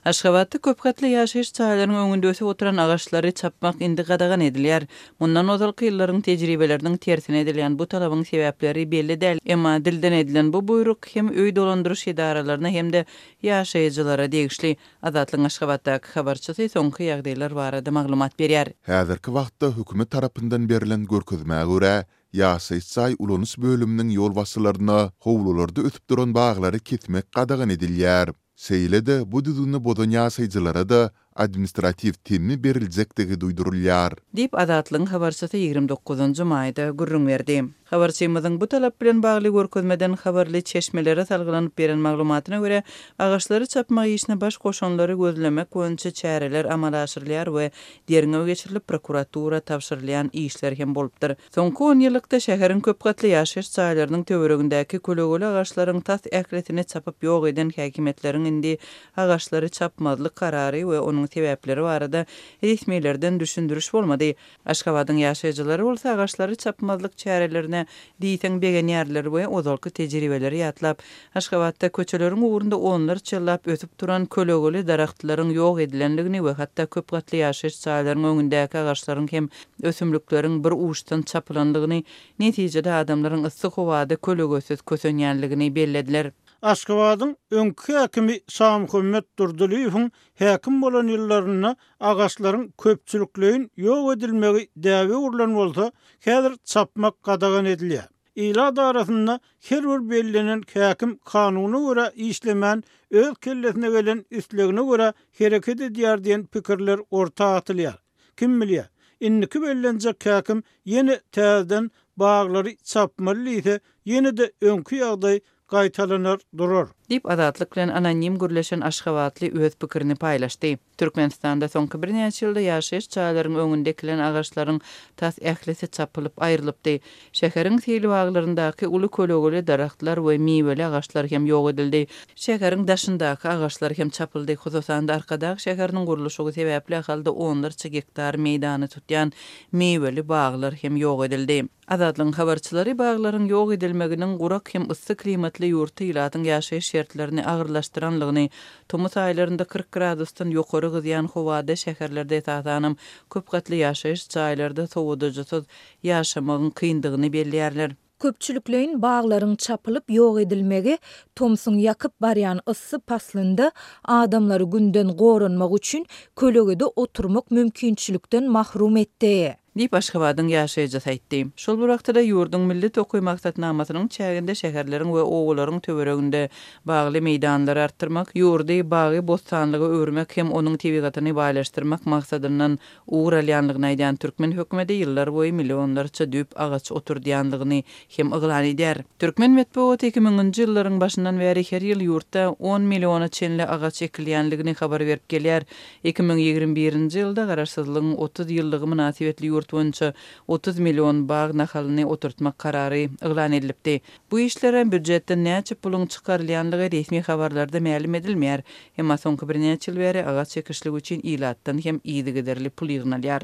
Aşgabatda köpgatly ýaşaýyş jaýlarynyň öňünde ösüp oturan agaçlary çapmak indi gadagan edilýär. Mundan ozalky ýyllaryň tejribeleriniň tersine edilýän bu talabyň sebäpleri belli däl, emma dilden edilen bu buýruk hem öý dolandyryş edaralaryna hem-de ýaşaýjylara degişli. Azatlygyň Aşgabatdaky habarçysy soňky ýagdaýlar barada maglumat berýär. Häzirki wagtda hökümet tarapyndan berlen görkezmä görä, ýaşaýyş jaý ulanyş bölüminiň ýolbaşçylaryna howlularda ösüp duran baglary kesmek gadagan edilýär. Şeýle-de, bu düzgüni bozan ýaşaýjylara-da administratiw temmi beriljekdigi duýdurylýar. Diýip, Azatlygyň habarçysy 29 njy maýda gürrüň berdi. Habarçymyzyň bu talap bilen bagly görkezmeden habarly çeşmelere salgylanyp beren maglumatyna görä, agaçlary çapmak işine baş goşanlary gözlemek boýunça çäreler amala aşyrylýar we derňew geçirilip, prokuratura tabşyrylýan işler hem bolupdyr. Soňky onýyllykda şäheriň köp gatly ýaşaýyş jaýlarynyň töweregindäki kölegeli agaçlaryň tas ählisini çapyp ýok eden häkimiýetleriň indi agaçlary çapmazlyk karary we onuň sebäpleri barada resmilerden düşündiriş bolmady. Aşgabadyň ýaşaýjylary bolsa agaçlary çapmazlyk çärelerine diýseň begenýärler we ozalky tejribeleri ýatlap, Aşgabatda köçeleriň ugrunda onlarça ýyllap ösüp duran kölegeli daragtlaryň ýok edilendigini we hatda köp gatly ýaşaýyş jaýlaryň öňündäki agaçlaryň hem ösümlikleriň bir uçdan çapylandygyny, netijede adamlaryň yssy howada kölegesiz kösenýänligini bellediler. Aşgabadyň öňki häkimi Şamuhammet Durdylyýewiň häkim bolan ýyllarynda agaçlaryň köpçülikleýin ýok edilmegi däbe öwrülen bolsa, häzir çapmak gadagan edilýär. Ilat arasynda her bir bellenen häkim kanuna görä işlemän, öz kellesine gelen islegine görä hereket edýär diýen pikirler orta atylýar. Kim bilýär, indiki bellenjek häkim ýene täzeden baglary çapmaly diýse, ýene-de öňki ýagdaý gaýtalanar durar. Diýip, Azatlyk bilen anonim gürleşen aşgabatly öz pikirini paýlaşdy. Türkmenistanda soňky birnäçe ýylda ýaşaýyş jaýlaryň öňünde ekilen agaçlaryň tas ählisi çapylyp aýrylypdy. Şäheriň seýilbaglaryndaky uly kölegeli daragtlar we miweli agaçlar hem ýok edildi. Şäheriň daşyndaky agaçlar hem çapyldy. Hususan-da, Arkadag şäheriniň gurluşygy sebäpli Ahalda onlarça gektar meýdany tutýan miweli baglar hem ýok edildi. Azatlygyň habarçylary baglaryň ýok edilmeginiň gurak hem yssy klimatly ýurtda ilatyň ýaşaýyş şertlerini agyrlaşdyranlygyny, tomus aýlarynda 40 gradusdan ýokary gyzýan howada şäherlerde esasanam köp gatly ýaşaýyş jaýlarda sowadyjysyz ýaşamagyň kyndygyny belleýärler. Köpçülikleýin baglaryň çapylyp ýok edilmegi tomsuň ýakyp barýan yssy paslynda adamlary günden goranmak üçin kölegede oturmak mümkinçilikden mahrum etdi. Diýip, Aşgabadyň ýaşaýjysy aýtdy. Şol bir wagtda-da, ýurduň Milli tokaý maksatnamasynyň çäginde şäherleriň we obalaryň töwereginde bagly meýdanlary artdyrmak, ýurdy bagy-bossanlyga öwürmek hem onuň tebigatyny baýlaşdyrmak maksadyndan ugur alýanlygyny aýdýan türkmen hökümeti ýyllarboýy millionlarça düýp agaç oturdýanlygyny hem yglan edýär. Türkmen metbugaty iki müňünji ýyllaryň başyndan bäri her ýyl ýurtda on milliona çenli agaç ekilýänligini habar berip gelýär. 2021-nji ýylda Garaşsyzlygyň 30 ýyllygy mynasybetli ýurt boýunça 30 million bag nahalyny oturtmak karary yglan edilipdi. Bu işlere býujetden näçe puluň çykarylýanlygy resmi habarlarda mälim edilmeýär. Emma soňky birnäçe ýyl bäri agaç ekişligi üçin ilatdan hem yzygiderli pul ýygnalýar.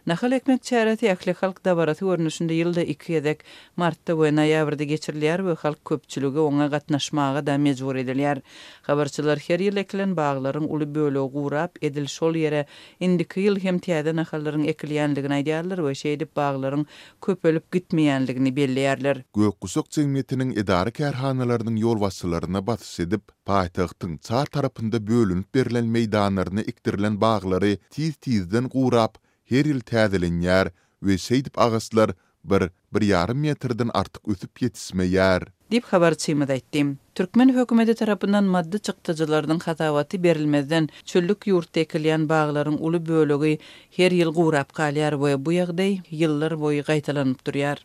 Nahal ekmek çäresi ählihalk dabarasy görnüşinde ýylda iki gezek, martda we noýabrda geçirilýär we halk köpçüligi oňa gatnaşmaga-da mejbur edilýär. Habarçylar her ýyl ekilen baglaryň uly bölegi gurap, edil şol ýere indiki ýyl hem täze nahallaryň ekilýändigini aýdýarlar we şeýdip baglaryň köpelip gitmeýändigini belleýärler. Gök guşak jemgyýetiniň edara-kärhanalarynyň ýolbaşçylaryna basyş edip, paýtagtyň çar tarapynda bölünip berlen meýdanlaryna ekdirilen baglary tiz-tizden gurap, her ýyl täzelenýär we şeýdip agaçlar bir, bir ýarym metrden artyk ösüp ýetişmeýär. Diýip, habarçymyz aýtdy. Türkmen hökümeti tarapyndan maddy çykdajylarynyň hasabaty berilmezden, çöllük ýurtda ekilýän baglaryň uly bölegi her ýyl gurap galýar we bu ýagdaý ýyllar boýy gaýtalanyp durýar.